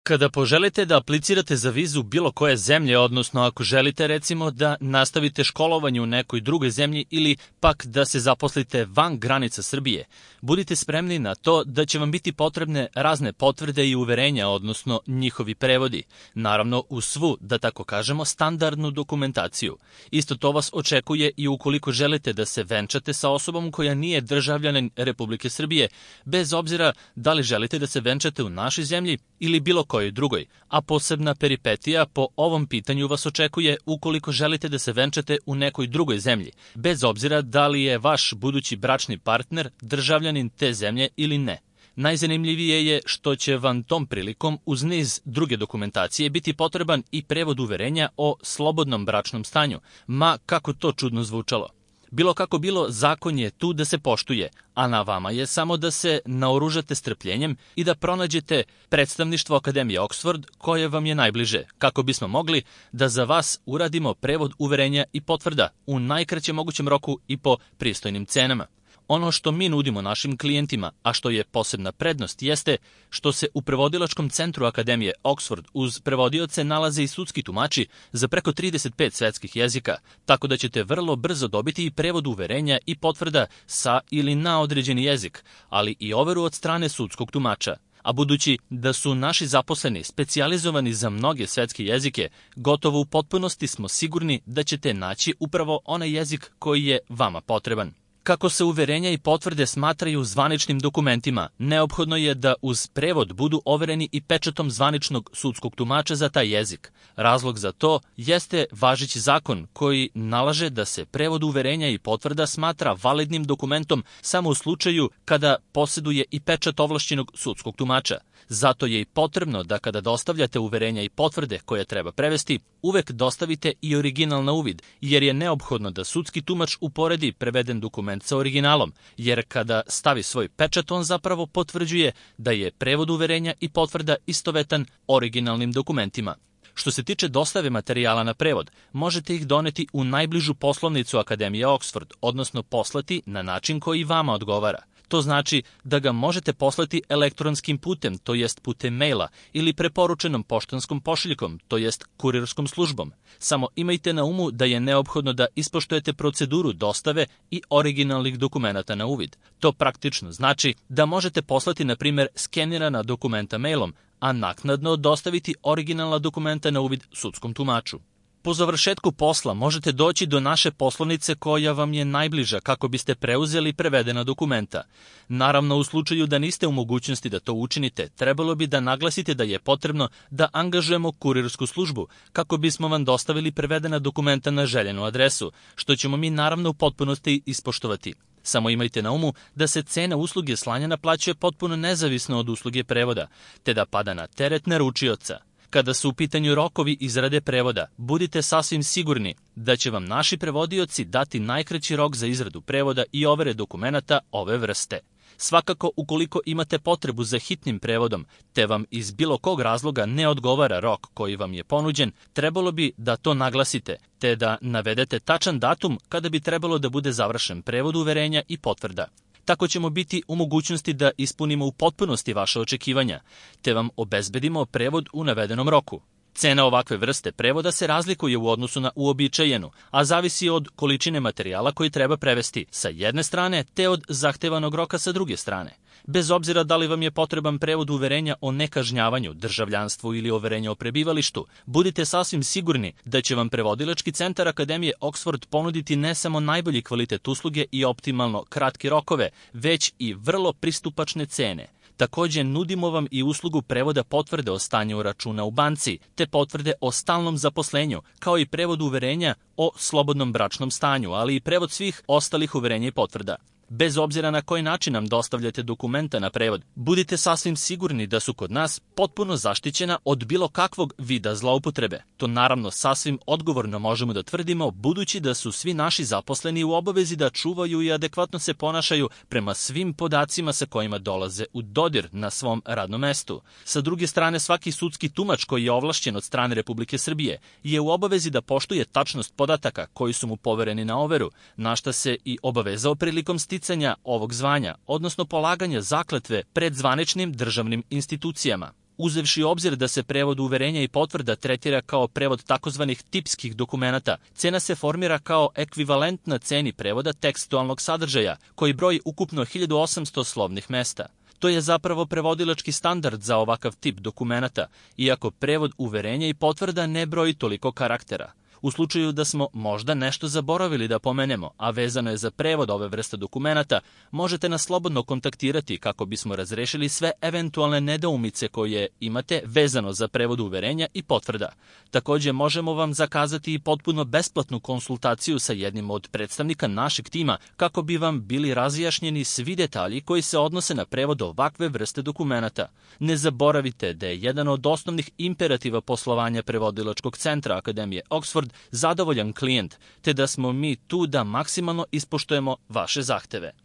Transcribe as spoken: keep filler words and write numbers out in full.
Kada poželite da aplicirate za vizu bilo koje zemlje, odnosno ako želite recimo da nastavite školovanje u nekoj drugoj zemlji ili pak da se zaposlite van granica Srbije, budite spremni na to da će vam biti potrebne razne potvrde i uverenja, odnosno njihovi prevodi, naravno uz svu, da tako kažemo, standardnu dokumentaciju. Isto to vas očekuje i ukoliko želite da se venčate sa osobom koja nije državljanin Republike Srbije, bez obzira da li želite da se venčate u našoj zemlji ili bilo kojoj drugoj, a posebna peripetija po ovom pitanju vas očekuje ukoliko želite da se venčate u nekoj drugoj zemlji, bez obzira da li je vaš budući bračni partner državljanin te zemlje ili ne. Najzanimljivije je što će vam tom prilikom uz niz druge dokumentacije biti potreban i prevod uverenja o slobodnom bračnom stanju, ma kako to čudno zvučalo. Bilo kako bilo, zakon je tu da se poštuje, a na vama je samo da se naoružate strpljenjem i da pronađete predstavništvo Akademije Oxford koje vam je najbliže, kako bismo mogli da za vas uradimo prevod uverenja i potvrda u najkraćem mogućem roku i po pristojnim cenama. Ono što mi nudimo našim klijentima, a što je posebna prednost, jeste što se u prevodilačkom centru Akademije Oxford uz prevodioce nalaze i sudski tumači za preko trideset pet svetskih jezika, tako da ćete vrlo brzo dobiti i prevod uverenja i potvrda sa ili na određeni jezik, ali i overu od strane sudskog tumača. A budući da su naši zaposleni specijalizovani za mnoge svetske jezike, gotovo u potpunosti smo sigurni da ćete naći upravo onaj jezik koji je vama potreban. Kako se uverenja i potvrde smatraju zvaničnim dokumentima, neophodno je da uz prevod budu overeni i pečatom zvaničnog sudskog tumača za taj jezik. Razlog za to jeste važeći zakon koji nalaže da se prevod uverenja i potvrda smatra validnim dokumentom samo u slučaju kada posjeduje i pečat ovlašćenog sudskog tumača. Zato je i potrebno da kada dostavljate uverenja i potvrde koje treba prevesti, uvek dostavite i original na uvid, jer je neophodno da sudski tumač uporedi preveden dokument sa originalom, jer kada stavi svoj pečat on zapravo potvrđuje da je prevod uverenja i potvrda istovetan originalnim dokumentima. Što se tiče dostave materijala na prevod, možete ih doneti u najbližu poslovnicu Akademije Oxford, odnosno poslati na način koji vama odgovara. To znači da ga možete poslati elektronskim putem, to jest putem maila, ili preporučenom poštanskom pošiljkom, to jest kurirskom službom. Samo imajte na umu da je neophodno da ispoštujete proceduru dostave i originalnih dokumenata na uvid. To praktično znači da možete poslati, na primjer, skenirana dokumenta mailom, a naknadno dostaviti originalna dokumenta na uvid sudskom tumaču. Po završetku posla možete doći do naše poslovnice koja vam je najbliža kako biste preuzeli prevedena dokumenta. Naravno, u slučaju da niste u mogućnosti da to učinite, trebalo bi da naglasite da je potrebno da angažujemo kurirsku službu kako bismo vam dostavili prevedena dokumenta na željenu adresu, što ćemo mi naravno u potpunosti ispoštovati. Samo imajte na umu da se cena usluge slanja naplaćuje potpuno nezavisno od usluge prevoda, te da pada na teret naručioca. Kada su u pitanju rokovi izrade prevoda, budite sasvim sigurni da će vam naši prevodioci dati najkraći rok za izradu prevoda i overe dokumenata ove vrste. Svakako, ukoliko imate potrebu za hitnim prevodom, te vam iz bilo kog razloga ne odgovara rok koji vam je ponuđen, trebalo bi da to naglasite, te da navedete tačan datum kada bi trebalo da bude završen prevod uverenja i potvrda. Tako ćemo biti u mogućnosti da ispunimo u potpunosti vaše očekivanja, te vam obezbedimo prevod u navedenom roku. Cena ovakve vrste prevoda se razlikuje u odnosu na uobičajenu, a zavisi od količine materijala koji treba prevesti sa jedne strane, te od zahtevanog roka sa druge strane. Bez obzira da li vam je potreban prevod uverenja o nekažnjavanju, državljanstvu ili uverenja o prebivalištu, budite sasvim sigurni da će vam prevodilački centar Akademije Oxford ponuditi ne samo najbolji kvalitet usluge i optimalno kratke rokove, već i vrlo pristupačne cene. Također nudimo vam i uslugu prevoda potvrde o stanju računa u banci, te potvrde o stalnom zaposlenju, kao i prevod uverenja o slobodnom bračnom stanju, ali i prevod svih ostalih uverenja i potvrda. Bez obzira na koji način nam dostavljate dokumenta na prevod, budite sasvim sigurni da su kod nas potpuno zaštićena od bilo kakvog vida zloupotrebe. To naravno sasvim odgovorno možemo da tvrdimo, budući da su svi naši zaposleni u obavezi da čuvaju i adekvatno se ponašaju prema svim podacima sa kojima dolaze u dodir na svom radnom mestu. Sa druge strane, svaki sudski tumač koji je ovlašćen od strane Republike Srbije je u obavezi da poštuje tačnost podataka koji su mu povereni na overu, na šta se i obavezao prilikom sticanja ovog zvanja, odnosno polaganja zakletve pred zvaničnim državnim institucijama. Uzevši u obzir da se prevod uverenja i potvrda tretira kao prevod takozvanih tipskih dokumenata, cena se formira kao ekvivalentna ceni prevoda tekstualnog sadržaja, koji broji ukupno hiljadu osamsto slovnih mesta. To je zapravo prevodilački standard za ovakav tip dokumenata, iako prevod uverenja i potvrda ne broji toliko karaktera. U slučaju da smo možda nešto zaboravili da pomenemo, a vezano je za prevod ove vrste dokumenata, možete nas slobodno kontaktirati kako bismo razrešili sve eventualne nedoumice koje imate vezano za prevod uverenja i potvrda. Takođe, možemo vam zakazati i potpuno besplatnu konsultaciju sa jednim od predstavnika našeg tima kako bi vam bili razjašnjeni svi detalji koji se odnose na prevod ovakve vrste dokumenata. Ne zaboravite da je jedan od osnovnih imperativa poslovanja Prevodilačkog centra Akademije Oxford zadovoljan klijent, te da smo mi tu da maksimalno ispoštujemo vaše zahteve.